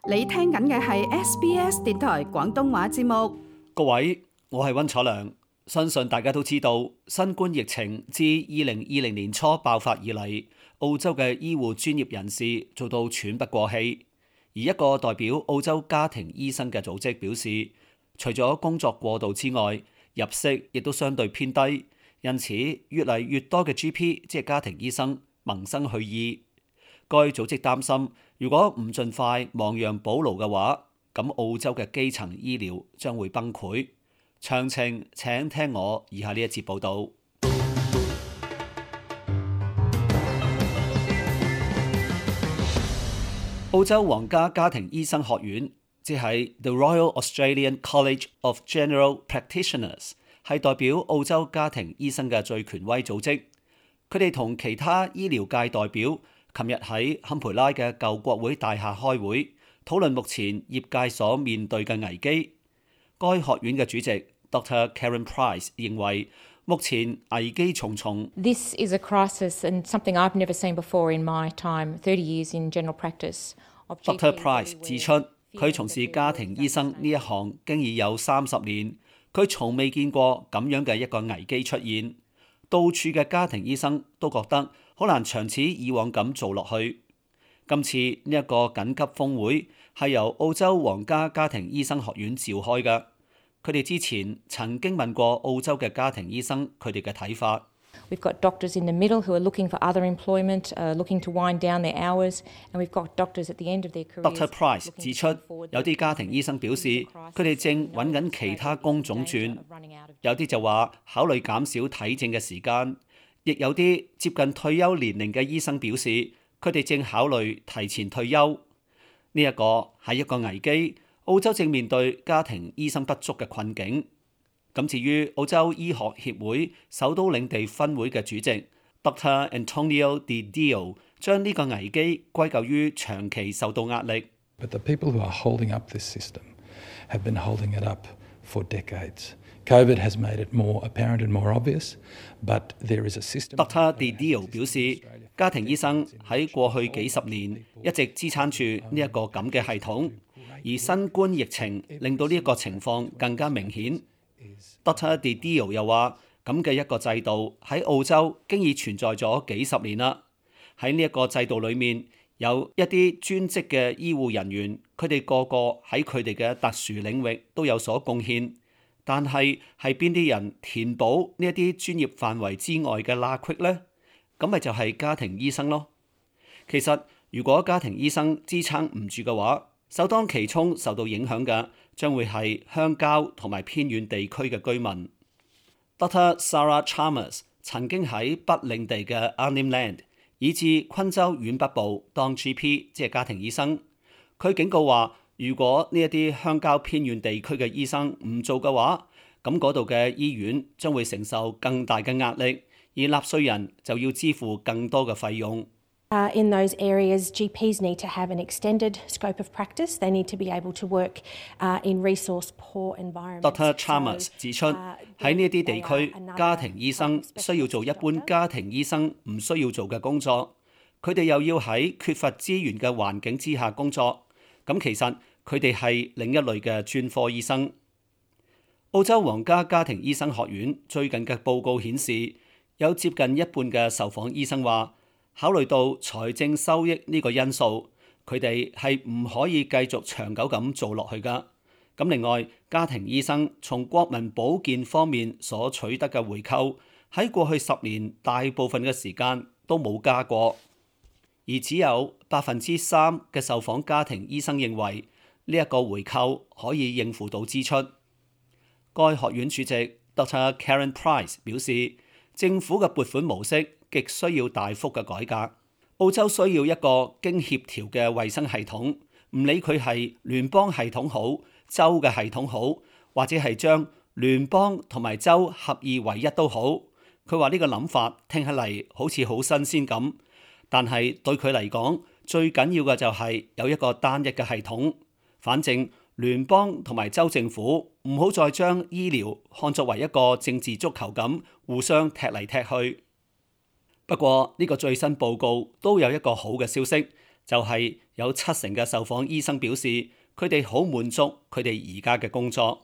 你聽緊嘅係 SBS 電台廣東話節目。各位，我係溫楚良。相信大家都知道，新冠疫情自2020年初爆發以嚟，澳洲嘅醫護專業人士做到喘不過氣。而一個代表澳洲家庭醫生嘅組織表示，除咗工作過度之外，入息亦都相對偏低，因此越嚟越多嘅 GP 即係家庭醫生萌生去意。該組織擔心，如果唔盡快亡羊補牢嘅話，咁澳洲嘅基層醫療將會崩潰。詳情請聽我以下呢一節報導。澳洲皇家家庭醫生學院，即係 The Royal Australian College of General Practitioners， 係代表澳洲家庭醫生嘅最權威組織。佢哋同其他醫療界代表琴日喺坎培拉嘅舊國會大廈開會，討論目前業界所面對嘅危機。該學院嘅主席 Dr. Karen Price 認為，目前危機重重。This is a crisis and something I've never seen before in my time, 30 years in general practice. Dr. Price 指出，佢從事家庭醫生呢一行經已有30年，佢從未見過咁樣嘅一個危機出現。到處嘅家庭醫生都覺得好難長此以往咁做落去。今次呢一個緊急峰會係由澳洲皇家家庭醫生學院召開嘅。佢哋之前曾經問過澳洲嘅家庭醫生佢哋嘅睇法。We've got doctors in the middle who are looking for other employment, looking to wind down their hours, and we've got doctors at the end of their careers. Dr. Price 指出，有啲家庭醫生表示，佢哋正揾緊其他工種轉，有啲就話考慮減少睇症嘅時間，亦有啲接近退休年齡嘅醫生表示，佢哋正考慮提前退休。呢一個係一個危機，澳洲正面對家庭醫生不足嘅困境。咁至於澳洲醫學協會首都領地分會嘅主席 Dr. Antonio Di Dio 將呢個危機歸咎於長期受到壓力。But the people who are holding up this system have been holding it up for decades. COVID has made it more apparent and more obvious, but there is a system. Dr. Di Dio 表示，家庭醫生喺過去幾十年一直支撐住呢一個咁嘅系統，而新冠疫情令到呢一個情況更加明顯。Dr. Di Dio 又話，咁嘅一個制度喺澳洲經已存在咗幾十年啦。喺呢一個制度裏面，有一啲專職嘅醫護人員，佢哋個個喺佢哋嘅特殊領域都有所貢獻。但係邊啲人填補呢一啲專業範圍之外嘅罅隙呢？咁咪就係家庭醫生咯。其實如果家庭醫生支撐唔住嘅話，首當其衝受到影響嘅將會係鄉郊同埋偏遠地區嘅居民。Dr. Sarah Chalmers 曾經喺北領地嘅 Arnhem Land 以至昆州縣北部當 GP， 即係家庭醫生。佢警告話，如果呢一啲鄉郊偏遠地區嘅醫生唔做嘅話，咁嗰度嘅醫院將會承受更大嘅壓力，而納稅人就要支付更多嘅費用。In those areas, GPs need to have an extended scope of practice. They need to be able to work in resource-poor environments. Dr. Chalmers 指出，喺呢一啲地區，家庭醫生需要做一般家庭醫生唔需要做嘅工作，佢哋又要喺缺乏資源嘅環境之下工作。咁其實佢哋係另一類嘅專科醫生。澳洲皇家家庭醫生學院最近嘅報告顯示，有接近一半嘅受訪醫生話，考慮到財政收益呢個因素，佢哋係唔可以繼續長久咁做落去㗎。咁另外，家庭醫生從國民保健方面所取得嘅回扣，喺過去10年大部分嘅時間都冇加過，而只有3%嘅受訪家庭醫生認為呢一個回扣可以應付到支出。該學院主席 Dr. Karen Price 表示，政府嘅撥款模式極需要大幅嘅改革。澳洲需要一個經協調嘅衛生系統，唔理佢係聯邦系統好、州嘅系統好，或者係將聯邦同埋州合二為一都好。佢話呢個諗法聽起嚟好似好新鮮咁，但係對佢嚟講，最緊要嘅就係有一個單一嘅系統。反正聯邦同埋州政府唔好再將醫療看作為一個政治足球咁互相踢嚟踢去。不過呢個最新報告都有一個好嘅消息，就係有70%嘅受訪醫生表示佢哋好滿足佢哋而家嘅工作。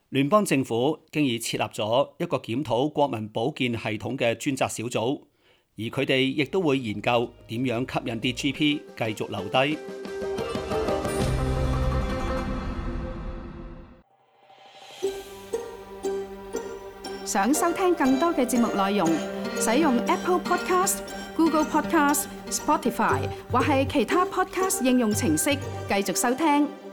聯邦政府經已設立咗一個檢討國民保健系統嘅專責小組，而佢哋亦都會研究點樣吸引啲 GP 繼續留低。想收聽更多嘅節目內容，使用 Apple Podcast、Google Podcast、Spotify 或係其他 Podcast 應用程式繼續收聽。